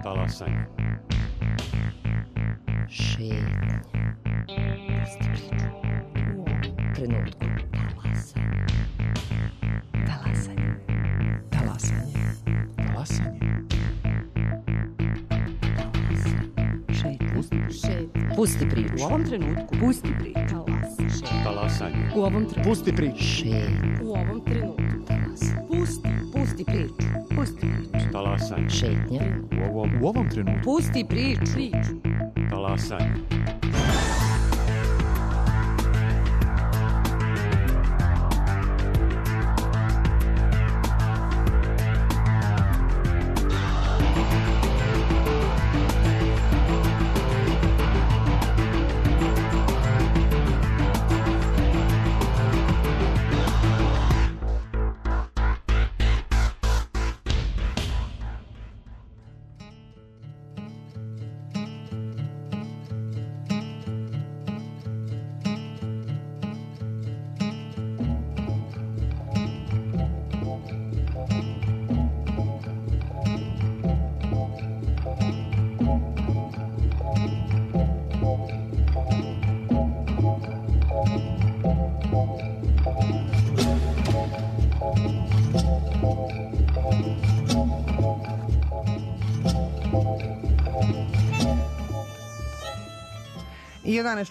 Talasanje. Šetnja. Pusti priču. U ovom trenutku. Talasanje. Talasanje. Talasanje. Šetnja. Pusti priču. U ovom trenutku. Pusti priču. Talasanje. U ovom trenutku. Pusti priču. Šetnja. U ovom trenutku. Pusti priču. Pusti priču. Talasanje. Šetnja. U ovom trenutku. Pusti priču. Talasanje.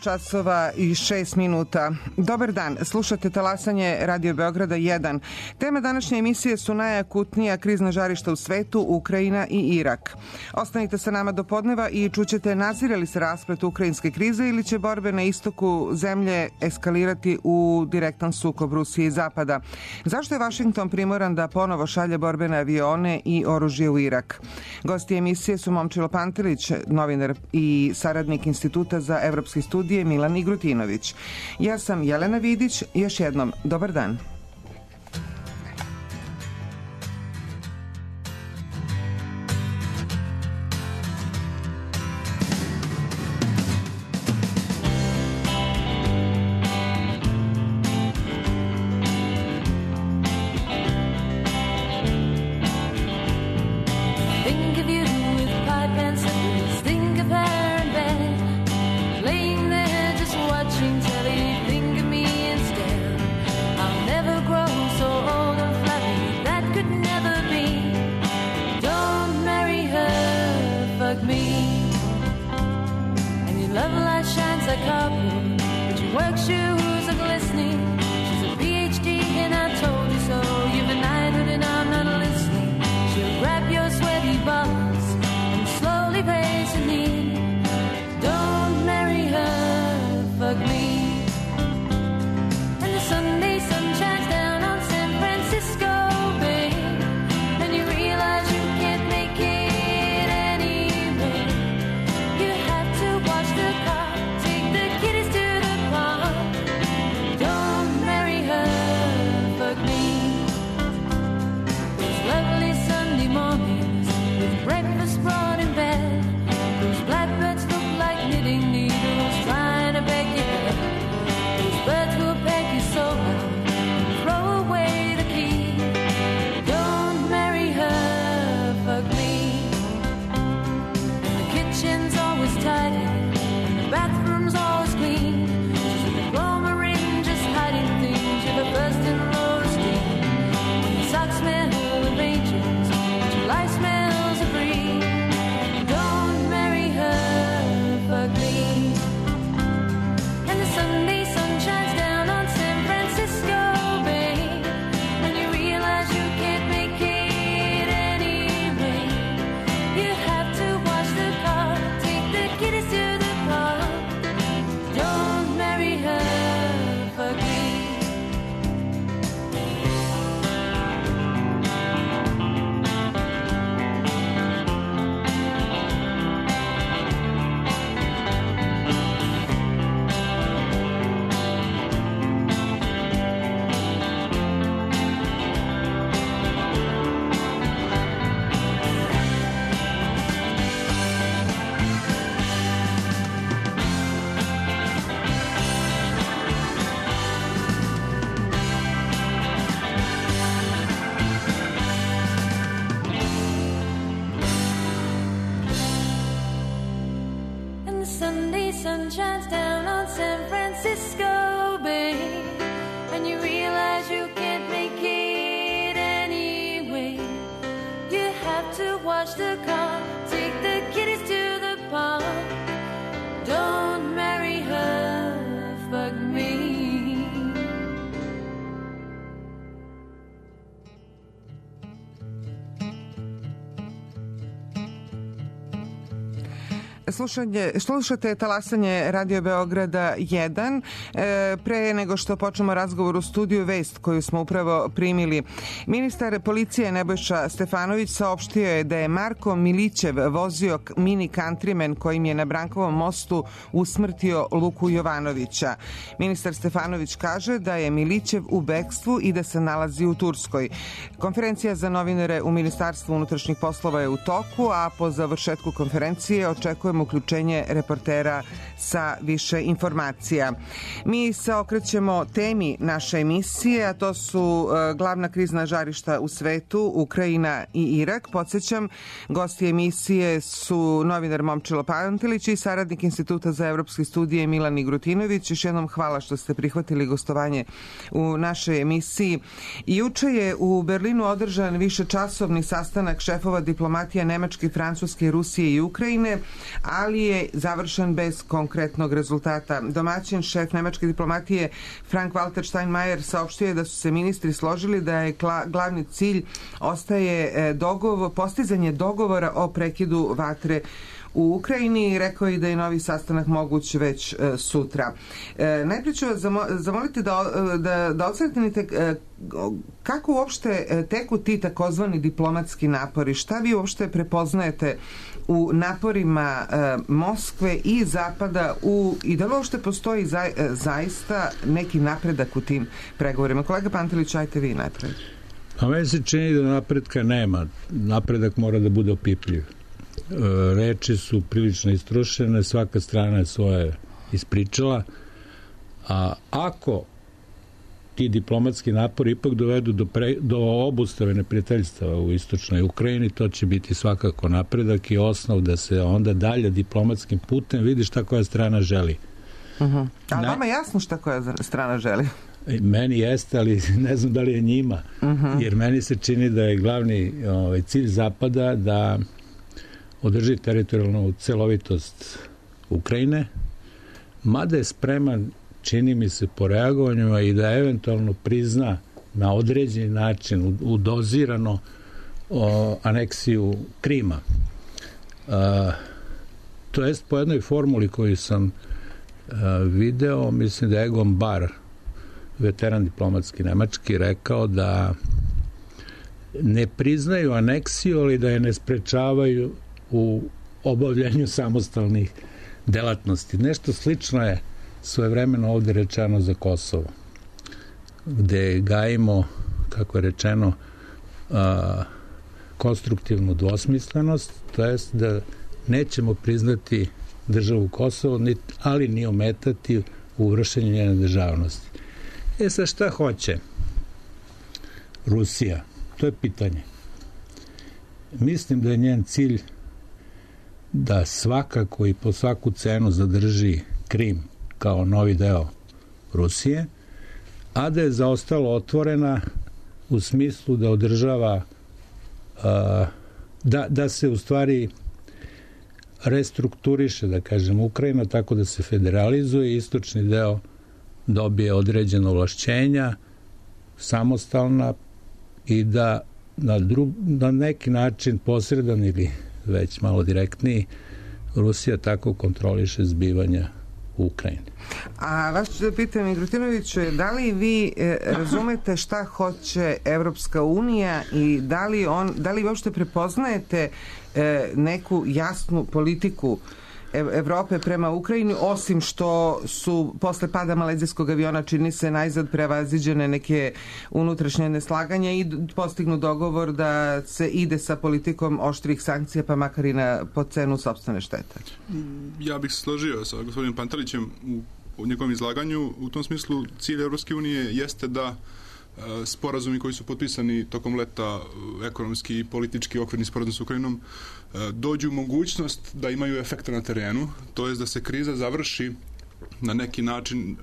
časova i 6 minuta. Dobar dan, slušate Talasanje Radio Beograda 1. Tema današnje emisije su najakutnija krizna žarišta u svetu, Ukrajina i Irak. Ostanite sa nama do podneva i čućete nazire li se rasplet ukrajinske krize ili će borbe na istoku zemlje eskalirati u direktan sukob Rusije i Zapada. Zašto je Vašington primoran da ponovo šalje borbene avione i oružje u Irak? Gosti emisije su Momčilo Pantelić, novinar i saradnik Instituta za evropske studije Milan Igrutinović. Ja sam Jelena Vidić, još jednom dobar dan. Laying there just watching telly, think of me instead. I'll never you can't make it anyway. You have to wash the car, take the kiddies to the park. Don't marry her, fuck me. Slušate talasanje Radio Beograda 1. Pre nego što počnemo razgovor u studiju, vest koju smo upravo primili. Ministar policije Nebojša Stefanović saopštio je da je Marko Milićev vozio mini countryman kojim je na Brankovom mostu usmrtio Luku Jovanovića. Ministar Stefanović kaže da je Milićev u bekstvu i da se nalazi u Turskoj. Konferencija za novinare u Ministarstvu unutrašnjih poslova je u toku, a po završetku konferencije očekujemo uključenje reportera sa više informacija. Mi se okrećemo temi naše emisije, a to su glavna krizna žarišta u svetu, Ukrajina i Irak. Podsjećam, gosti emisije su novinar Momčilo Pantelić i saradnik Instituta za evropske studije Milan Igrutinović. Još jednom hvala što ste prihvatili gostovanje u našoj emisiji. Juče je u Berlinu održan višečasovni sastanak šefova diplomatija Nemačke, Francuske, Rusije i Ukrajine, ali je završen bez konkretnog rezultata. Domaćin šef nemačke diplomatije Frank-Walter Steinmeier saopštio je da su se ministri složili da je glavni cilj ostaje postizanje dogovora o prekidu vatre u Ukrajini. Rekao je da je novi sastanak moguć već sutra. Najprije ću vas zamoliti da odsretnite kako uopšte teku ti takozvani diplomatski napori. Šta vi uopšte prepoznajete u naporima Moskve i Zapada i da li uopšte postoji zaista neki napredak u tim pregovorima? Kolega Pantelić, ajte vi najprej. A meni se čini da napretka nema. Napredak mora da bude opipljiv. Reči su prilično istrušene, svaka strana je svoje ispričala, a ako ti diplomatski napori ipak dovedu do obustave neprijateljstava u istočnoj Ukrajini, to će biti svakako napredak i osnov da se onda dalje diplomatskim putem vidi šta koja strana želi. A vama jasno šta koja strana želi? Meni jeste, ali ne znam da li je njima, jer meni se čini da je glavni cilj Zapada da održi teritorijalnu celovitost Ukrajine, mada je spreman, čini mi se, po reagovanjima i da eventualno prizna na određeni način, udozirano aneksiju Krima. To jest po jednoj formuli koju sam video, mislim da je Egon Bahr, veteran diplomatski nemački, rekao da ne priznaju aneksiju, ali da je ne sprečavaju u obavljanju samostalnih delatnosti. Nešto slično je svojevremeno ovde rečeno za Kosovo, gde gajimo, kako je rečeno, konstruktivnu dvosmislenost, to jest da nećemo priznati državu Kosovo, ali ni ometati u vršenju njene državnosti. Sad šta hoće Rusija? To je pitanje. Mislim da je njen cilj da svakako i po svaku cenu zadrži Krim kao novi deo Rusije, a da je zaostalo otvorena u smislu da održava da se u stvari restrukturiše, da kažem, Ukrajina tako da se federalizuje, istočni deo dobije određena ovlašćenja, samostalna, i da na neki način posredan ili već malo direktniji Rusija tako kontroliše zbivanja u Ukrajini. A vas ću da pitam, Igrutinoviću, da li vi razumete šta hoće Evropska unija i da li uopšte prepoznajete neku jasnu politiku Evrope prema Ukrajini, osim što su posle pada malezijskog aviona čini se najzad prevaziđene neke unutrašnje neslaganja i postignu dogovor da se ide sa politikom oštrih sankcija, pa makar i po cenu sopstvene štete? Ja bih se složio sa gospodinom Pantelićem u njegovom izlaganju. U tom smislu cilj Evropske unije jeste da sporazumi koji su potpisani tokom leta, ekonomski i politički okvirni sporazum s Ukrajinom, dođu u mogućnost da imaju efekta na terenu, to je da se kriza završi na neki način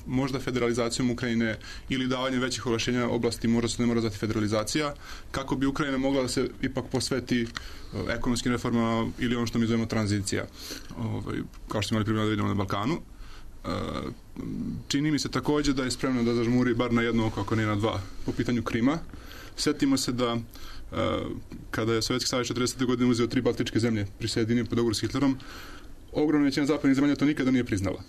možda federalizacijom Ukrajine ili davanjem većih ovlašćenja oblasti, možda se ne mora zvati federalizacija, kako bi Ukrajina mogla da se ipak posveti ekonomskim reformama ili ono što mi zovemo tranzicija, kao što smo imali primjer da vidimo na Balkanu. Čini mi se također da je spremno da zažmuri bar na jedno oko, ako ne na dva, po pitanju Krima. Sjetimo se da kada je Sovjetski savez 40. godine uzeo 3 baltičke zemlje prisjedinio pod dogovor s Hitlerom, ogromna većina zapadnih zemalja to nikada nije priznala.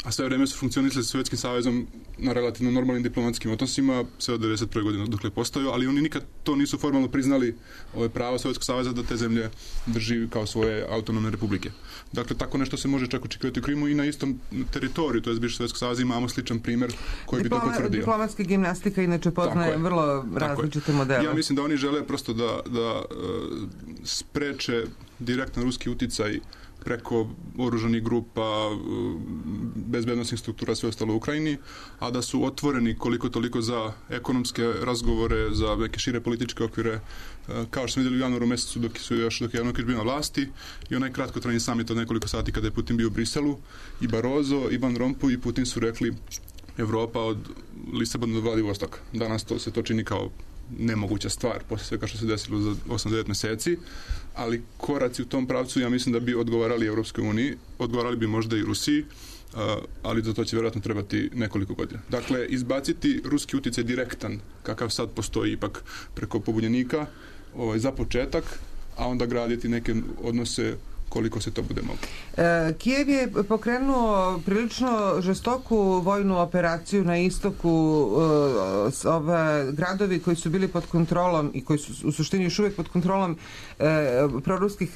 A sve vreme su funkcionisali sa Sovjetskim savezom na relativno normalnim diplomatskim odnosima, sve od 91. godine dok je postojao, ali oni nikad to nisu formalno priznali ove prava Sovjetskog saveza da te zemlje drži kao svoje autonomne republike. Dakle, tako nešto se može čak očekivati u Krimu i na istom teritoriju, to je bivši Sovjetskog saveza, imamo sličan primjer koji bi to potvrdio. Diplomatska gimnastika inače poznaje vrlo različite modele. Ja mislim da oni žele prosto da spreče direktno ruski uticaj preko oružanih grupa, bezbednosnih struktura, sve ostalo u Ukrajini, a da su otvoreni koliko toliko za ekonomske razgovore, za neke šire političke okvire, kao što smo vidjeli u januaru mjesecu dok je Januković bio na vlasti i onaj kratkotrajni samit od nekoliko sati kada je Putin bio u Briselu, i Barroso, i Van Rompuy i Putin su rekli Evropa od Lisabona do Vladivostoka. Danas se to čini kao nemoguća stvar poslije svega što se desilo za 8-9 mjeseci, ali koraci u tom pravcu ja mislim da bi odgovarali Europskoj uniji, odgovarali bi možda i Rusiji, ali za to će vjerojatno trebati nekoliko godina. Dakle, izbaciti ruski utjecaj direktan, kakav sad postoji ipak preko pobunjenika, za početak, a onda graditi neke odnose koliko se to bude moglo. Kijev je pokrenuo prilično žestoku vojnu operaciju na istoku. Gradovi koji su bili pod kontrolom i koji su u suštini još uvijek pod kontrolom proruskih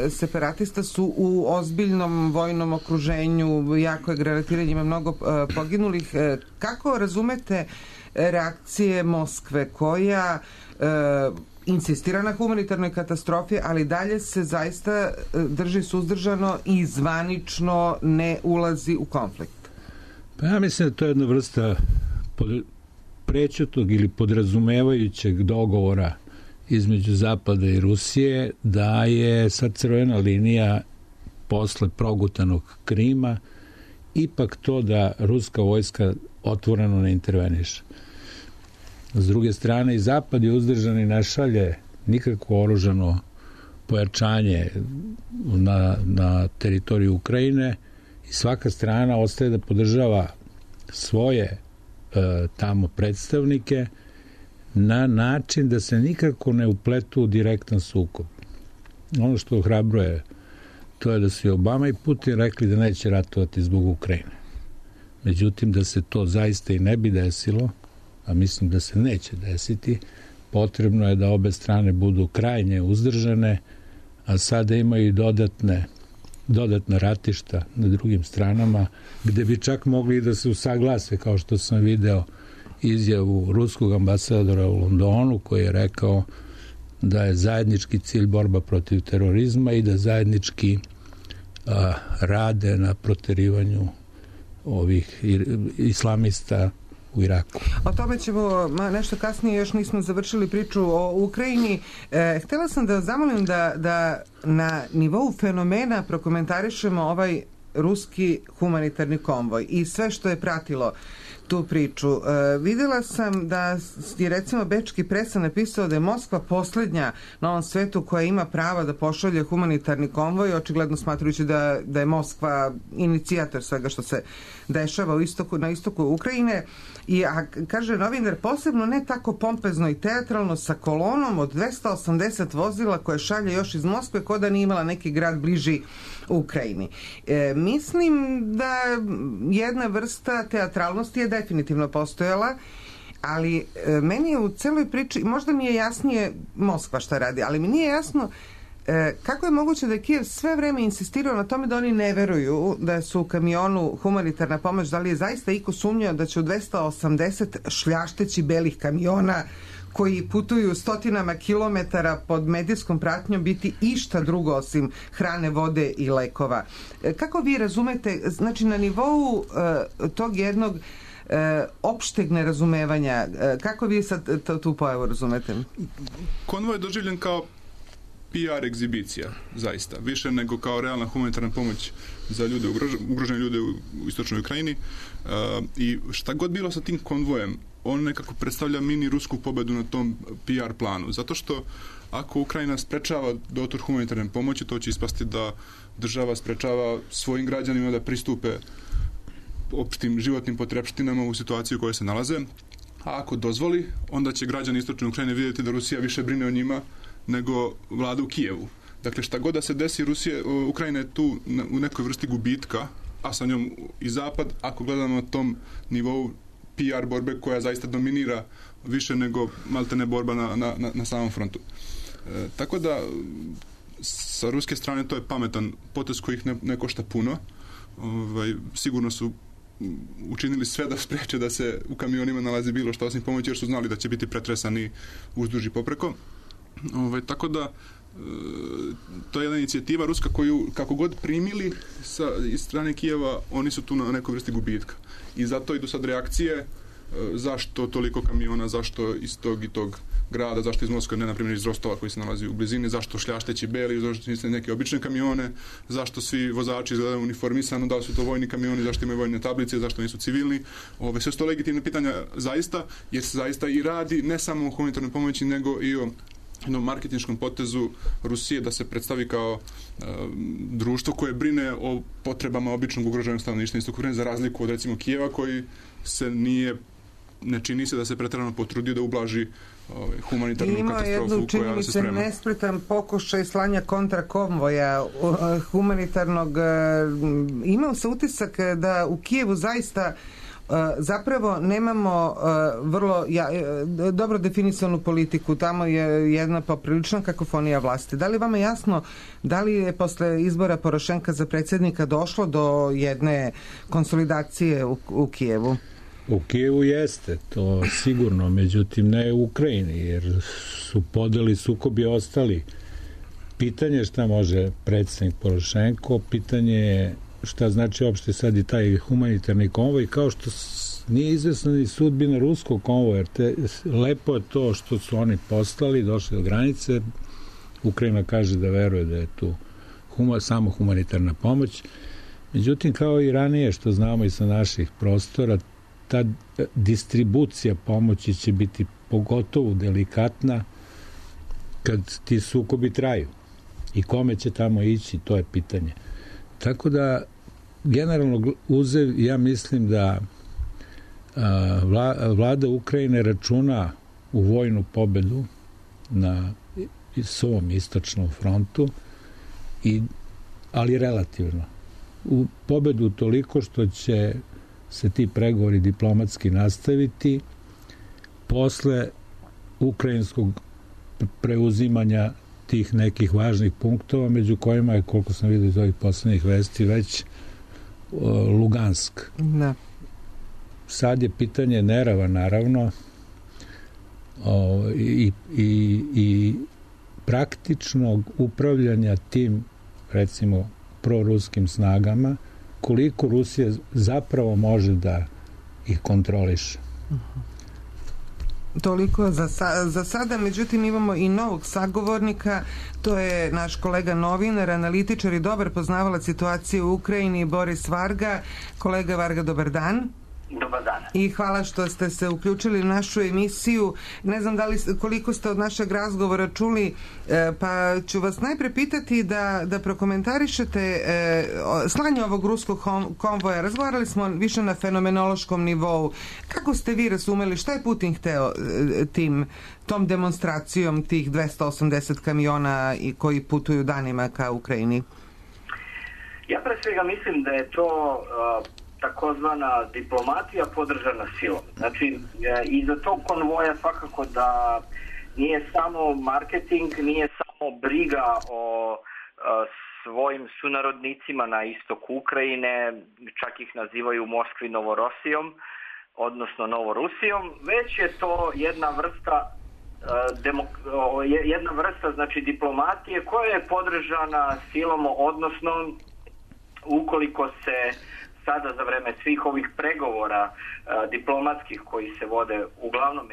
separatista su u ozbiljnom vojnom okruženju, jako je granatiranje, ima mnogo poginulih. Kako razumete reakcije Moskve koja insistira na humanitarnoj katastrofi, ali dalje se zaista drži suzdržano i zvanično ne ulazi u konflikt? Pa ja mislim da to je jedna vrsta prečutog ili podrazumevajućeg dogovora između Zapada i Rusije, da je sad crvena linija posle progutanog Krima ipak to da ruska vojska otvoreno ne interveniše. S druge strane, i Zapad je uzdržan i ne šalje nikakvo oružano pojačanje na teritoriju Ukrajine i svaka strana ostaje da podržava svoje tamo predstavnike na način da se nikako ne upletu u direktan sukob. Ono što ohrabruje to je da su i Obama i Putin rekli da neće ratovati zbog Ukrajine. Međutim, da se to zaista i ne bi desilo, a mislim da se neće desiti, potrebno je da obe strane budu krajnje uzdržane, a sada imaju i dodatna ratišta na drugim stranama, gde bi čak mogli da se usaglase, kao što sam video izjavu ruskog ambasadora u Londonu, koji je rekao da je zajednički cilj borba protiv terorizma i da zajednički rade na proterivanju ovih islamista u Iraku. O tome ćemo nešto kasnije, još nismo završili priču o Ukrajini. Htjela sam da zamolim da na nivou fenomena prokomentarišemo ovaj ruski humanitarni konvoj i sve što je pratilo tu priču. Vidjela sam da je recimo bečki presa napisao da je Moskva posljednja na ovom svetu koja ima prava da pošalje humanitarni konvoj, očigledno smatrujući da je Moskva inicijator svega što se dešava na istoku Ukrajine. A kaže novinar, posebno ne tako pompezno i teatralno, sa kolonom od 280 vozila koje šalje još iz Moskve, ko da nije imala neki grad bliži Ukrajini. Mislim da jedna vrsta teatralnosti je definitivno postojala, ali meni je u celoj priči, možda mi je jasnije Moskva šta radi, ali mi nije jasno kako je moguće da je Kijev sve vreme insistirao na tome da oni ne veruju da su u kamionu humanitarna pomoć, da li je zaista iko sumnjao da će u 280 šljašteći belih kamiona koji putuju stotinama kilometara pod medijskom pratnjom biti išta drugo osim hrane, vode i lekova. Kako vi razumete, znači na nivou tog jednog opšteg nerazumevanja, kako vi sad tu pojavu razumete? Konvoj je doživljen kao PR egzibicija, zaista. Više nego kao realna humanitarna pomoć za ljude, ugrožene ljude u istočnoj Ukrajini. I šta god bilo sa tim konvojem, on nekako predstavlja mini rusku pobedu na tom PR planu. Zato što ako Ukrajina sprečava dotor humanitarne pomoći, to će ispasti da država sprečava svojim građanima da pristupe opštim životnim potrepštinama u situaciji u kojoj se nalaze. A ako dozvoli, onda će građani istočne Ukrajine vidjeti da Rusija više brine o njima nego vlada u Kijevu. Dakle, šta god da se desi, Ukrajina je tu u nekoj vrsti gubitka, a sa njom i Zapad, ako gledamo na tom nivou PR borbe koja zaista dominira više nego maltene borba na samom frontu. Tako da, sa ruske strane to je pametan potez koji ih ne košta puno. Sigurno su učinili sve da spreče da se u kamionima nalazi bilo što osim pomoći, jer su znali da će biti pretresani uzduž i popreko. Tako da to je jedna inicijativa ruska koju kako god primili iz strane Kijeva, oni su tu na nekoj vrsti gubitka. I zato idu sad reakcije zašto toliko kamiona, zašto iz tog i tog grada, zašto iz Moskve, ne na primjer iz Rostova koji se nalazi u blizini, zašto šljašteći beli, zašto niste neke obične kamione, zašto svi vozači izgledaju uniformisano, da li su to vojni kamioni, zašto imaju vojne tablice, zašto nisu civilni. Sve su to legitimne pitanja zaista, jer se zaista i radi ne samo o humanitarnoj pomoći, nego i o jednom marketinškom potezu Rusije da se predstavi kao društvo koje brine o potrebama običnog ugroženog stanovništva istočne Ukrajine, za razliku od recimo Kijeva koji se ne čini se da se pretjerano potrudio da ublaži humanitarnu katastrofu koja se sprema. Ima jednu, čini mi se, nespretan pokušaj slanja kontrakonvoja humanitarnog. Imao se utisak da u Kijevu zaista zapravo nemamo vrlo dobro definisanu politiku. Tamo je jedna poprilična kakofonija vlasti. Da li vama jasno da li je posle izbora Porošenka za predsjednika došlo do jedne konsolidacije u Kijevu? U Kijevu jeste, to sigurno, međutim ne u Ukrajini, jer su podeli sukobi ostali. Pitanje je šta može predsjednik Porošenko, pitanje je šta znači uopšte sad i taj humanitarni konvoj, kao što nije izvesna ni sudbina ruskog konvoja, jer lepo je to što su oni poslali, došli do granice, Ukrajina kaže da veruje da je tu samo humanitarna pomoć, međutim kao i ranije što znamo i sa naših prostora, ta distribucija pomoći će biti pogotovo delikatna kad ti sukobi traju i kome će tamo ići, to je pitanje. Tako da generalno ja mislim da vlada Ukrajine računa u vojnu pobedu na svom istočnom frontu, ali relativno. U pobedu toliko što će se ti pregovori diplomatski nastaviti posle ukrajinskog preuzimanja tih nekih važnih punktova, među kojima je, koliko sam vidio iz ovih poslednjih vesti, već Lugansk. Da. Sad je pitanje Nerava, naravno, i praktičnog upravljanja tim, recimo, proruskim snagama, koliko Rusija zapravo može da ih kontroliše. Toliko za sada, međutim imamo i novog sagovornika, to je naš kolega novinar, analitičar i dobar poznavalac situacije u Ukrajini, Boris Varga. Kolega Varga, dobar dan. Dobar dan. I hvala što ste se uključili u našu emisiju. Ne znam koliko ste od našeg razgovora čuli, pa ću vas najpre pitati da prokomentarišete slanje ovog ruskog konvoja. Razgovarali smo više na fenomenološkom nivou. Kako ste vi razumeli šta je Putin hteo tom demonstracijom tih 280 kamiona koji putuju danima ka Ukrajini? Ja pre svega mislim da je to takozvana diplomatija podržana silom. Znači, iza tog konvoja svakako da nije samo marketing, nije samo briga o svojim sunarodnicima na istoku Ukrajine, čak ih nazivaju u Moskvi Novorosijom, odnosno Novorusijom, već je to jedna vrsta znači diplomatije koja je podržana silom, odnosno ukoliko se sada za vreme svih ovih pregovora diplomatskih koji se vode uglavnom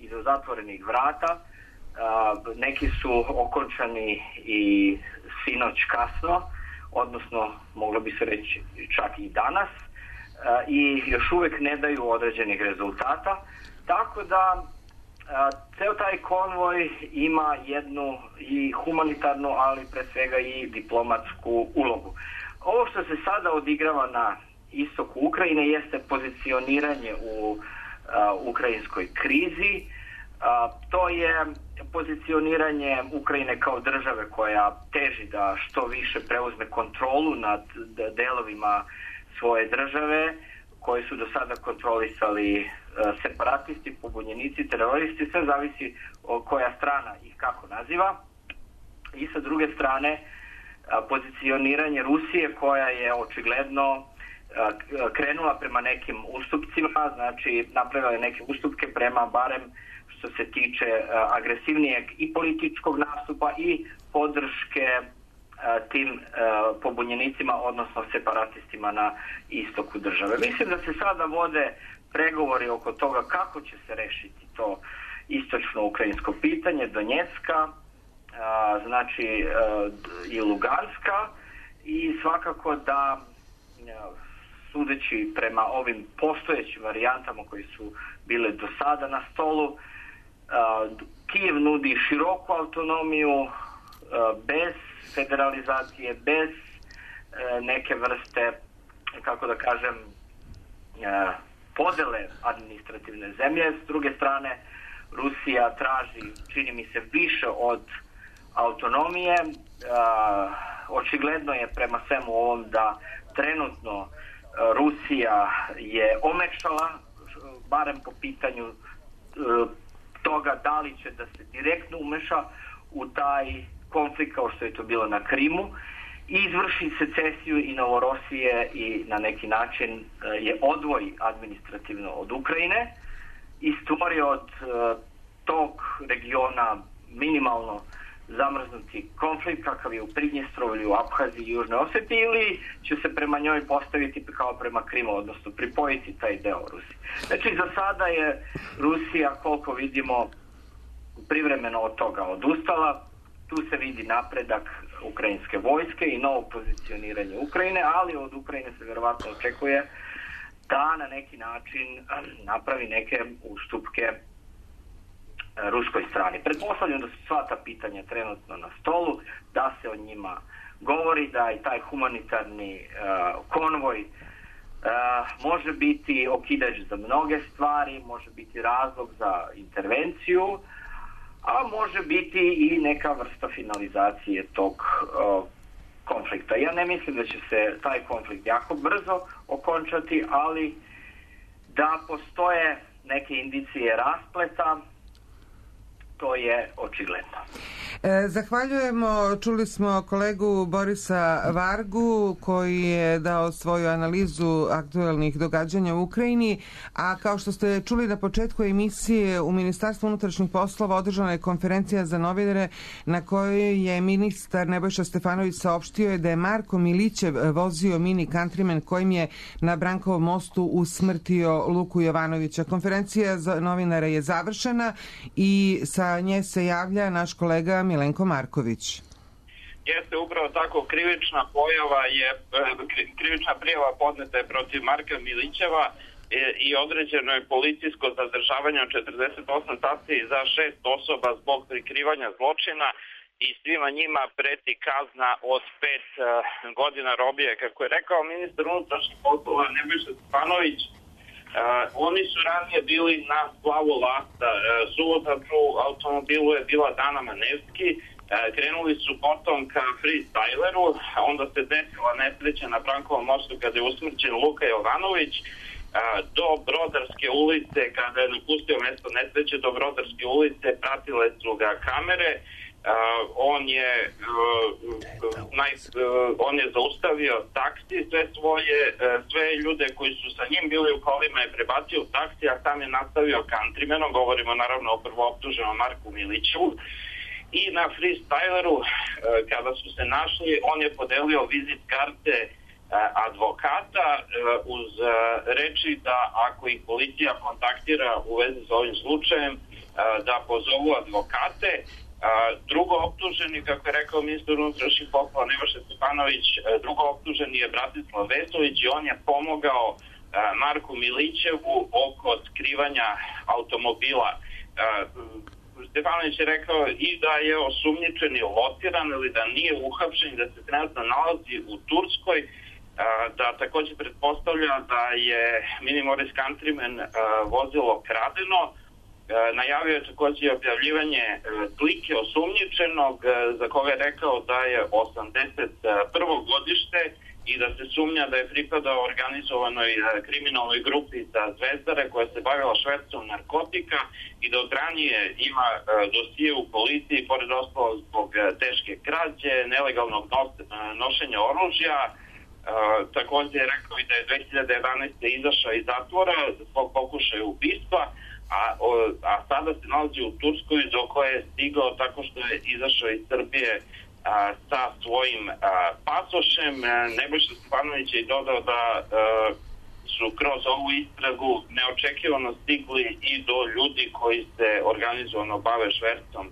iza zatvorenih vrata, neki su okončani i sinoć kasno, odnosno moglo bi se reći čak i danas, i još uvek ne daju određenih rezultata, tako da ceo taj konvoj ima jednu i humanitarnu, ali pre svega i diplomatsku ulogu. Ovo što se sada odigrava na istoku Ukrajine jeste pozicioniranje u ukrajinskoj krizi. To je pozicioniranje Ukrajine kao države koja teži da što više preuzme kontrolu nad delovima svoje države, koji su do sada kontrolisali separatisti, pobunjenici, teroristi, sve zavisi koja strana ih kako naziva. I sa druge strane, pozicioniranje Rusije koja je očigledno krenula prema nekim ustupcima, znači napravila je neke ustupke prema barem što se tiče agresivnijeg i političkog nastupa i podrške tim pobunjenicima, odnosno separatistima na istoku države. Mislim da se sada vode pregovori oko toga kako će se rešiti to istočno ukrajinsko pitanje, Donjecka, znači i Luganska, i svakako da sudeći prema ovim postojećim varijantama koji su bile do sada na stolu, Kijev nudi široku autonomiju bez federalizacije, bez neke vrste, kako da kažem, podele administrativne zemlje. S druge strane, Rusija traži, čini mi se, više od autonomije. Očigledno je prema svemu ovom da trenutno Rusija je omekšala, barem po pitanju toga da li će da se direktno umeša u taj konflikt kao što je to bilo na Krimu i izvrši secesiju i Novorosije i na neki način je odvoji administrativno od Ukrajine i stvori od tog regiona minimalno zamrznuti konflikt kakav je u Pridnjestrovlju, u Abhaziji i Južnoj Oseti, ili će se prema njoj postaviti kao prema Krimu, odnosno pripojiti taj deo Rusije. Znači za sada je Rusija, koliko vidimo, privremeno od toga odustala. Tu se vidi napredak ukrajinske vojske i novo pozicioniranje Ukrajine, ali od Ukrajine se verovatno očekuje da na neki način napravi neke ustupke ruskoj strani. Pretpostavljam da su sva ta pitanja trenutno na stolu, da se o njima govori, da i taj humanitarni konvoj može biti okidač za mnoge stvari, može biti razlog za intervenciju, a može biti i neka vrsta finalizacije tog konflikta. Ja ne mislim da će se taj konflikt jako brzo okončati, ali da postoje neke indicije raspleta, to je očigledno. Zahvaljujemo, čuli smo kolegu Borisa Vargu koji je dao svoju analizu aktuelnih događanja u Ukrajini, a kao što ste čuli na početku emisije, u Ministarstvu unutrašnjih poslova održana je konferencija za novinare na kojoj je ministar Nebojša Stefanović saopštio da je Marko Milićev vozio mini Countryman kojim je na Brankovom mostu usmrtio Luku Jovanovića. Konferencija za novinare je završena i sa nje se javlja naš kolega Milenko Marković. Jeste upravo tako, krivična prijava podneta je protiv Marka Milićeva i određeno je policijsko zadržavanje od 48 sati za 6 osoba zbog prikrivanja zločina i svima njima preti kazna od 5 godina robije. Kako je rekao ministar unutrašnjih poslova Nebojša Stefanović, oni su ranije bili na splavu lasta. Suvozač u automobilu je bila Dana Manevski. Krenuli su potom ka freestyleru, onda se desila nesreća na Brankovom mostu kada je usmrćen Luka Jovanović. Do Brodarske ulice, kada je napustio mesto nesreće, do Brodarske ulice pratile su ga kamere. On je zaustavio taksi, sve ljude koji su sa njim bili u kolima je prebacio u taksi, a sam je nastavio Countrymanom, govorimo naravno o prvooptuženom Marku Milićevu. I na freestyleru, kada su se našli, on je podelio vizit karte advokata uz reči da ako ih policija kontaktira u vezi sa ovim slučajem, da pozovu advokate. Drugo optuženi, kako je rekao ministar unutrašnjih poslova Nebojša Stefanović, drugo optuženi je Bratislav Vesović i on je pomogao Marku Milićevu oko skrivanja automobila. Stefanović je rekao i da je osumnjičen i lotiran ili da nije uhapšen, da se trenutno nalazi u Turskoj, da takođe pretpostavlja da je Mini Morris Countryman vozilo kradeno. Najavio je takođe objavljivanje slike osumnjičenog za koga je rekao da je 81. godište i da se sumnja da je pripadao organizovanoj kriminalnoj grupi sa Zvezdare koja se bavila švercom narkotika i da od ranije ima dosije u policiji, pored ostalog zbog teške krađe, nelegalnog nošenja oružja. Takođe je rekao i da je 2011. izašao iz zatvora zbog pokušaja ubistva, a sada se nalazi u Turskoj do koje je stigao tako što je izašao iz Srbije sa svojim pasošem. Nebojša Stefanović je dodao da su kroz ovu istragu neočekivano stigli i do ljudi koji se organizovano bave švercom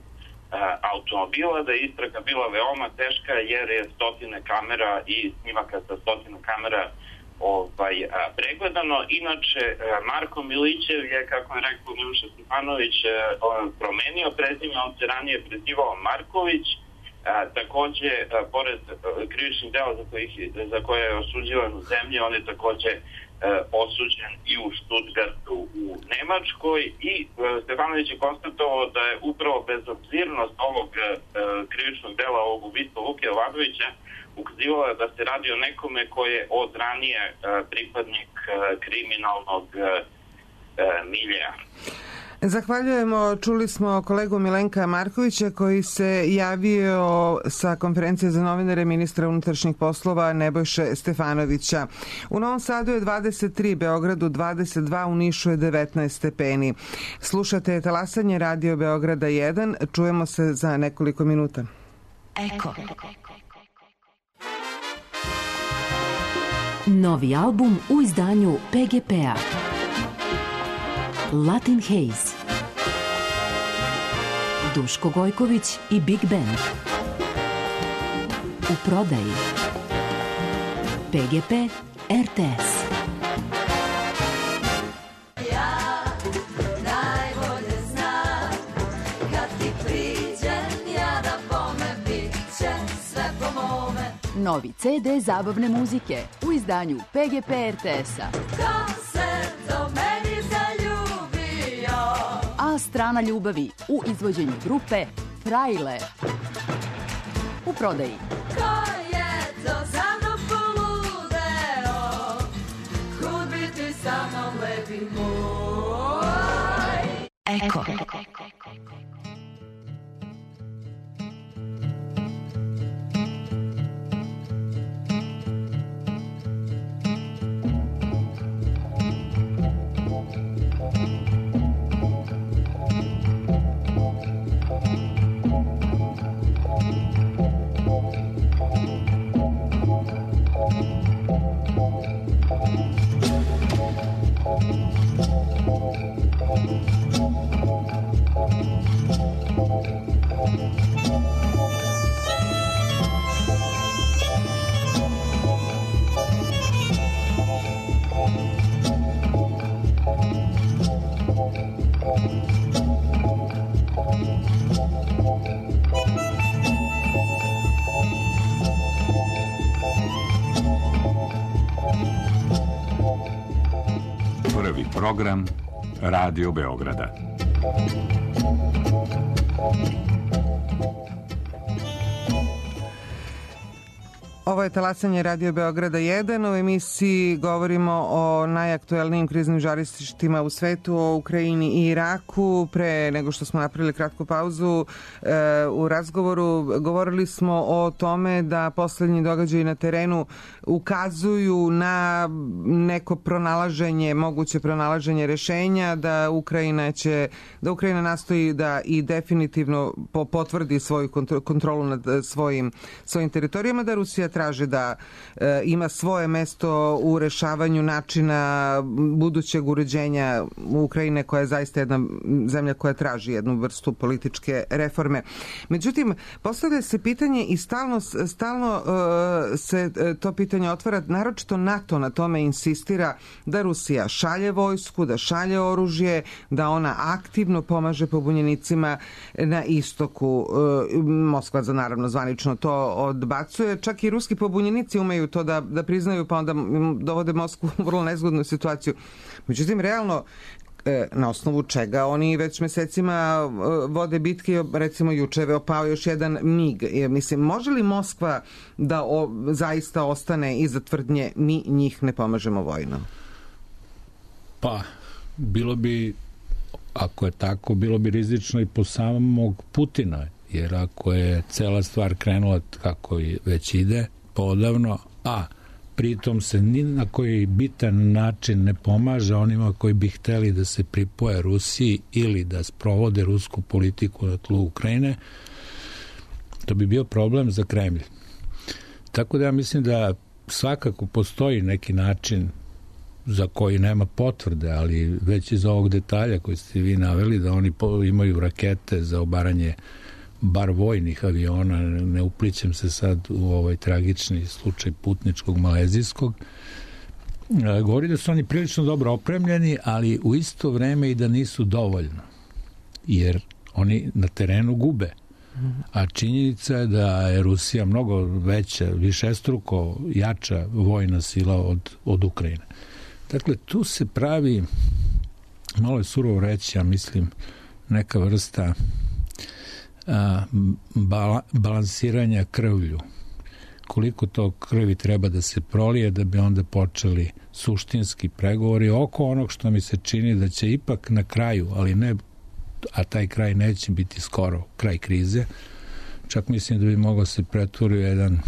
automobila, da je istraga bila veoma teška jer je stotine kamera i snimaka sa stotine kamera pregledano. Inače, Marko Milićev je, kako je rekao Nebojša Stefanović, promenio prezime, on se ranije prezivao Marković. Takođe, pored krivičnih dela za koje je osuđivan u zemlji, on je takođe osuđen i u Stuttgartu u Nemačkoj i Stefanović je konstatovao da je upravo bezobzirnost ovog krivičnog dela, ovog ubistva Luke Jovanovića ukazivala da se radi o nekome koji je od ranije pripadnik kriminalnog miljeja. Zahvaljujemo, čuli smo kolegu Milenka Markovića koji se javio sa konferencije za novinare ministra unutrašnjih poslova Nebojše Stefanovića. U Novom Sadu je 23, Beogradu 22, u Nišu je 19 stepeni. Slušate talasanje Radio Beograda 1, čujemo se za nekoliko minuta. Eko. Novi album u izdanju PGP-a. Latin Haze, Duško Gojković i Big Band. U prodaji PGP RTS. Ja najbolje znam kad ti priđem ja da bome bit će sve po mome. Novi CD zabavne muzike u izdanju PGP RTS-a. Ko se do meni A strana ljubavi u izvođenju grupe Frajle. U prodaji. Ko je to za mnom poludeo, kud bi ti sa mnom lepi moj. Eko. Program Radio Beograda. Ovo je talasanje Radio Beograda 1. U emisiji govorimo o najaktuelnijim kriznim žarištima u svetu, o Ukrajini i Iraku. Pre nego što smo napravili kratku pauzu u razgovoru, govorili smo o tome da poslednji događaji na terenu ukazuju na neko pronalaženje, moguće pronalaženje rešenja, da Ukrajina nastoji da i definitivno potvrdi svoju kontrolu nad svojim teritorijama, da Rusija traži traži da ima svoje mesto u rešavanju načina budućeg uređenja Ukrajine, koja je zaista jedna zemlja koja traži jednu vrstu političke reforme. Međutim, postavlja se pitanje i stalno se to pitanje otvara, naročito NATO na tome insistira da Rusija šalje vojsku, da šalje oružje, da ona aktivno pomaže pobunjenicima na istoku. Moskva naravno zvanično to odbacuje. Čak i ruski pobunjenici umeju to da priznaju, pa onda dovode Moskvu u vrlo nezgodnu situaciju. Međutim, realno, na osnovu čega oni već mesecima vode bitke, recimo juče je opao još jedan MiG. Mislim, može li Moskva da zaista ostane iza tvrdnje mi njih ne pomažemo vojno? Pa, bilo bi, ako je tako, bilo bi rizično i po samog Putina, jer ako je cela stvar krenula kako već ide poodavno, a pritom se ni na koji bitan način ne pomaže onima koji bi hteli da se pripoje Rusiji ili da sprovode rusku politiku na tlu Ukrajine, to bi bio problem za Kremlj. Tako da ja mislim da svakako postoji neki način za koji nema potvrde, ali već iz ovog detalja koji ste vi naveli, da oni imaju rakete za obaranje bar vojnih aviona, ne uplićem se sad u ovaj tragični slučaj putničkog malezijskog, govori da su oni prilično dobro opremljeni, ali u isto vreme i da nisu dovoljno, jer oni na terenu gube. A činjenica je da je Rusija mnogo veća, višestruko jača vojna sila od Ukrajine. Dakle, tu se pravi, malo je surovo reći, ja mislim, neka vrsta balansiranja krvlju. Koliko to krvi treba da se prolije da bi onda počeli suštinski pregovori oko onog što mi se čini da će ipak na kraju, ali ne, a taj kraj neće biti skoro kraj krize, čak mislim da bi mogao se pretvori u jedan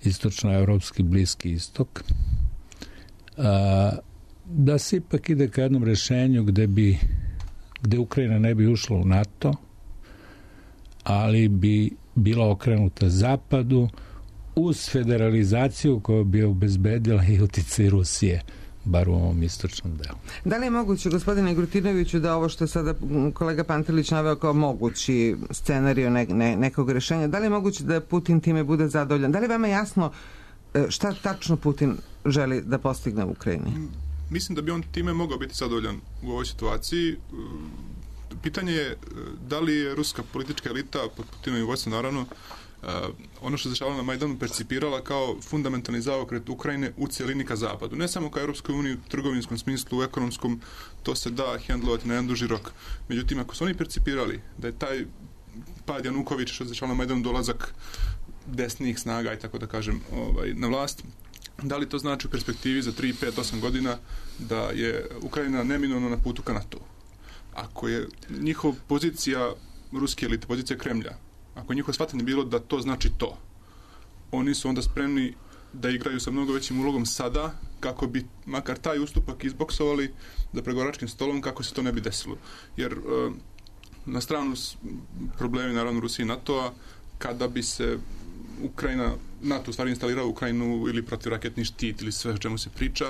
istočnoevropski Bliski istok, da se ipak ide ka jednom rešenju gde Ukrajina ne bi ušla u NATO, ali bi bila okrenuta zapadu uz federalizaciju koja bi obezbedila i uticaj Rusije, bar u ovom istočnom delu. Da li je moguće, gospodine Grutinoviću, da ovo što je sada kolega Pantelić naveo kao mogući scenariju nekog rešenja, da li je moguće da Putin time bude zadovoljan? Da li je vama jasno šta tačno Putin želi da postigne u Ukrajini? Mislim da bi on time mogao biti zadovoljan u ovoj situaciji. Pitanje je da li je ruska politička elita, pod Putinovim vojstvom naravno, ono što se dešavalo na Majdanu percipirala kao fundamentalni zaokret Ukrajine u cijelini ka zapadu. Ne samo ka Europskoj uniji u trgovinskom smislu, u ekonomskom, to se da hendlovati na jedan duži rok. Međutim, ako su oni percipirali da je taj pad Janukovića, što se dešavalo na Majdanu, dolazak desnih snaga i tako da kažem na vlast, da li to znači u perspektivi za 3, 5, 8 godina da je Ukrajina neminovno na putu ka NATO? Ako je njihova pozicija ruske elite, pozicija Kremlja, ako je njihovo shvatanje bilo da to znači to, oni su onda spremni da igraju sa mnogo većim ulogom sada, kako bi makar taj ustupak izboksovali za pregovaračkim stolom, kako se to ne bi desilo. Jer na stranu problemi, naravno, Rusije i NATO-a, kada bi se Ukrajina, NATO u stvari instalirao Ukrajinu ili protivraketni štit ili sve o čemu se priča,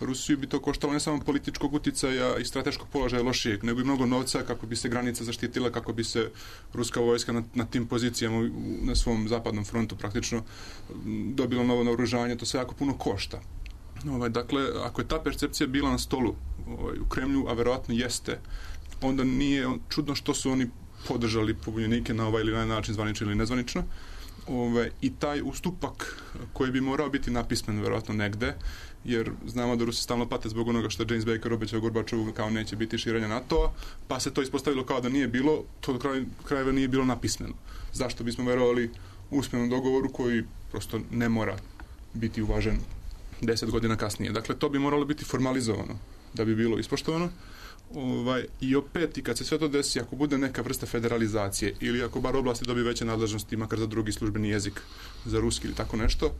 Rusiju bi to koštalo ne samo političkog uticaja i strateškog položaja lošijeg, nego i mnogo novca kako bi se granica zaštitila, kako bi se ruska vojska na tim pozicijama na svom zapadnom frontu praktično dobila novo naoružanje, to sve jako puno košta. Dakle, ako je ta percepcija bila na stolu u Kremlju, a verovatno jeste, onda nije čudno što su oni podržali pobunjenike na ovaj ili onaj način, zvanično ili nezvanično. I taj ustupak koji bi morao biti napismen verovatno negde, jer znamo da Rusi stalno pate zbog onoga što James Baker obećao Gorbačovu kao neće biti širenja NATO-a, pa se to ispostavilo kao da nije bilo, to do krajeva nije bilo napismeno. Zašto bismo verovali usmenom dogovoru koji prosto ne mora biti uvažen 10 godina kasnije. Dakle, to bi moralo biti formalizovano da bi bilo ispoštovano. I opet, i kad se sve to desi, ako bude neka vrsta federalizacije ili ako bar oblasti dobije veće nadležnosti, makar za drugi službeni jezik, za ruski ili tako nešto,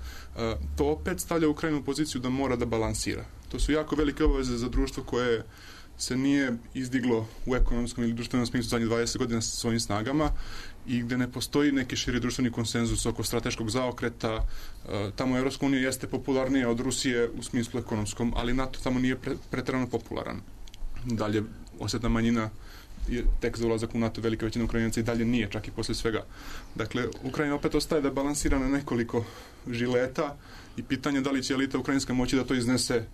to opet stavlja Ukrajinu u poziciju da mora da balansira. To su jako velike obaveze za društvo koje se nije izdiglo u ekonomskom ili društvenom smislu zadnjih 20 godina sa svojim snagama i gde ne postoji neki širi društveni konsenzus oko strateškog zaokreta. Tamo Evropska unija jeste popularnija od Rusije u smislu ekonomskom, ali NATO tamo nije preterano popularan. Dalje, osjetna manjina je tek za ulazak u NATO, velika većina Ukrajinaca i dalje nije, čak i posle svega. Dakle, Ukrajina opet ostaje da balansira na nekoliko žileta i pitanje da li će elita ukrajinska moći da to iznese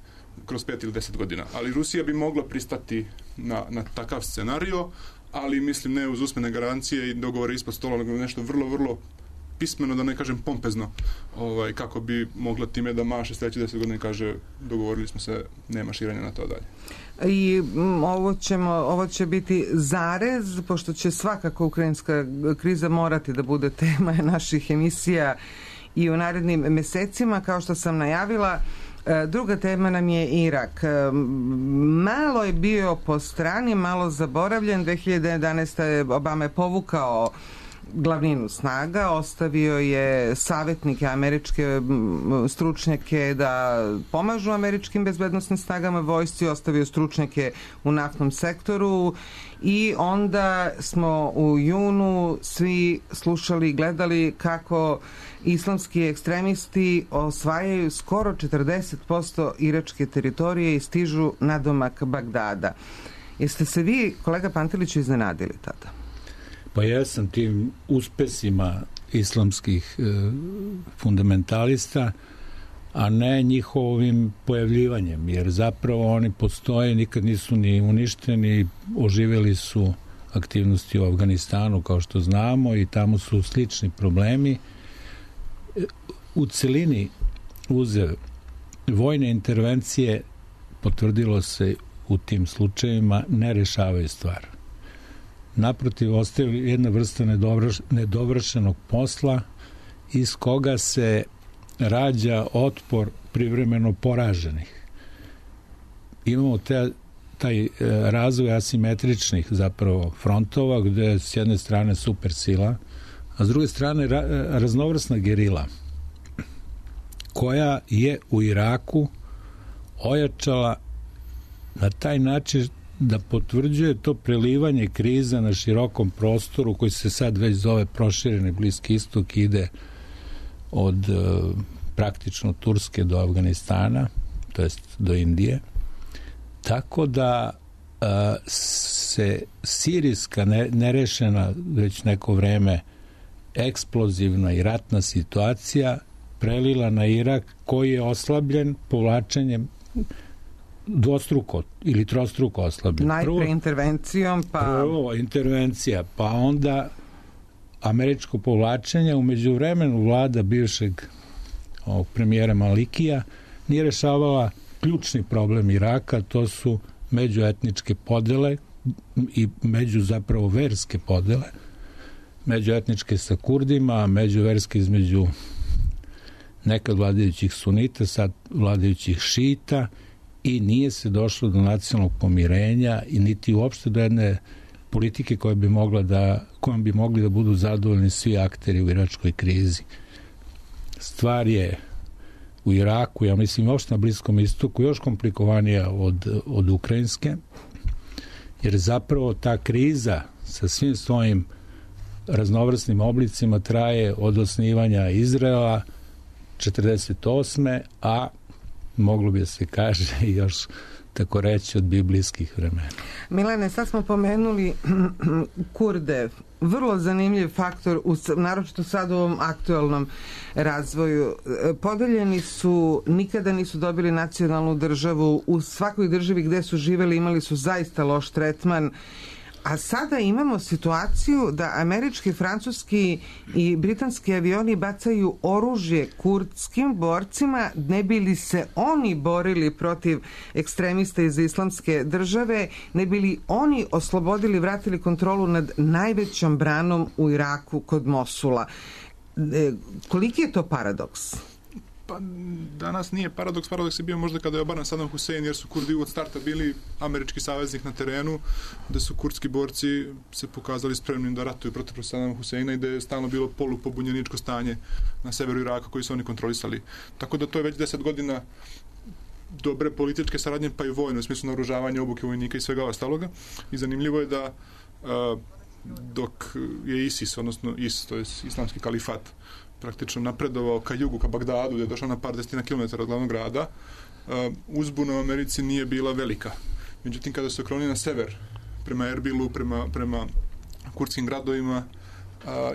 kroz 5 ili 10 godina. Ali Rusija bi mogla pristati na takav scenario, ali mislim ne uz usmene garancije i dogovore ispod stola, nego nešto vrlo, vrlo pismeno, da ne kažem pompezno, kako bi mogla time da maše sledeće 10 godina i kaže dogovorili smo se, nema širenja na to dalje. I ovo će biti zarez, pošto će svakako ukrajinska kriza morati da bude tema naših emisija i u narednim mesecima, kao što sam najavila. Druga tema nam je Irak. Malo je bio po strani, malo zaboravljen. 2011. Obama je povukao glavninu snaga, ostavio je savjetnike, američke stručnjake da pomažu američkim bezbednosnim snagama, vojsci, ostavio stručnjake u naftnom sektoru i onda smo u junu svi slušali i gledali kako islamski ekstremisti osvajaju skoro 40% iračke teritorije i stižu nadomak Bagdada. Jeste se vi, kolega Panteliću, iznenadili tada? Pa ja sam tim uspesima islamskih fundamentalista, a ne njihovim pojavljivanjem, jer zapravo oni postoje, nikad nisu ni uništeni, oživjeli su aktivnosti u Afganistanu, kao što znamo, i tamo su slični problemi. U celini uzev vojne intervencije, potvrdilo se u tim slučajevima, ne rešavaju stvar. Naprotiv, ostaje jedna vrsta nedovršenog posla iz koga se rađa otpor privremeno poraženih. Imamo taj razvoj asimetričnih zapravo frontova, gde je s jedne strane supersila, a s druge strane raznovrsna gerila, koja je u Iraku ojačala na taj način da potvrđuje to prelivanje kriza na širokom prostoru koji se sad već zove prošireni Bliski istok, ide od praktično Turske do Afganistana, to jest do Indije. Tako da se sirijska nerešena već neko vreme eksplozivna i ratna situacija prelila na Irak, koji je oslabljen povlačenjem dvostruko ili trostruko oslabljen. Najpre intervencijom, pa... Prvo intervencija, pa onda američko povlačenje. U međuvremenu vlada bivšeg premijera Malikija nije rešavala ključni problem Iraka, to su međuetničke podele i zapravo verske podele. Međuetničke sa Kurdima, međuverske između nekad vladajućih sunita, sad vladajućih šita, i nije se došlo do nacionalnog pomirenja i niti uopšte do jedne politike kojom bi mogli da budu zadovoljni svi akteri u iračkoj krizi. Stvar je u Iraku, ja mislim uopšte na Bliskom istoku, još komplikovanija od ukrajinske, jer zapravo ta kriza sa svim svojim raznovrsnim oblicima traje od osnivanja Izraela 48. a moglo bi se kaže još tako reći od biblijskih vremena. Milene, sad smo pomenuli Kurde. Vrlo zanimljiv faktor, naročito sad u ovom aktualnom razvoju. Podeljeni su, nikada nisu dobili nacionalnu državu. U svakoj državi gde su živeli imali su zaista loš tretman. A sada imamo situaciju da američki, francuski i britanski avioni bacaju oružje kurdskim borcima, ne bi li se oni borili protiv ekstremista iz islamske države, ne bi li oni oslobodili, vratili kontrolu nad najvećom branom u Iraku kod Mosula. Koliki je to paradoks? Pa danas nije paradoks, paradoks je bio možda kada je obaran Saddam Hussein, jer su Kurdi od starta bili američki saveznik na terenu, da su kurdski borci se pokazali spremnim da ratuju protiv Saddama Husseina i da je stalno bilo polupobunjeničko stanje na severu Iraka koji su oni kontrolisali. Tako da to je već 10 godina dobre političke saradnje, pa i vojne, u smislu naoružavanja, obuke vojnika i svega ostaloga. I zanimljivo je da dok je ISIS, odnosno IS, to je islamski kalifat, praktično napredovao ka jugu, ka Bagdadu, gde je došao na par desetina kilometara od glavnog grada, uzbuna u Americi nije bila velika. Međutim, kada se okroni na sever, prema Erbilu, prema kurdskim gradovima,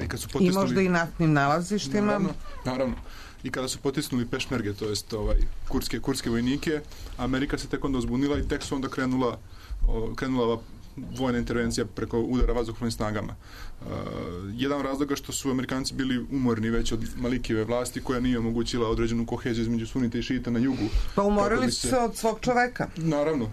i kad su potisnuli... I možda i naftnim nalazištima. Naravno. I kada su potisnuli pešmerge, to jest kurdske vojnike, Amerika se tek onda uzbunila i tek su onda krenula ova vojna intervencija preko udara vazduhoplovnim snagama. Jedan razloga što su Amerikanci bili umorni već od Malikijeve vlasti, koja nije omogućila određenu koheziju između sunita i šita na jugu. Pa umorili su se od svog čoveka.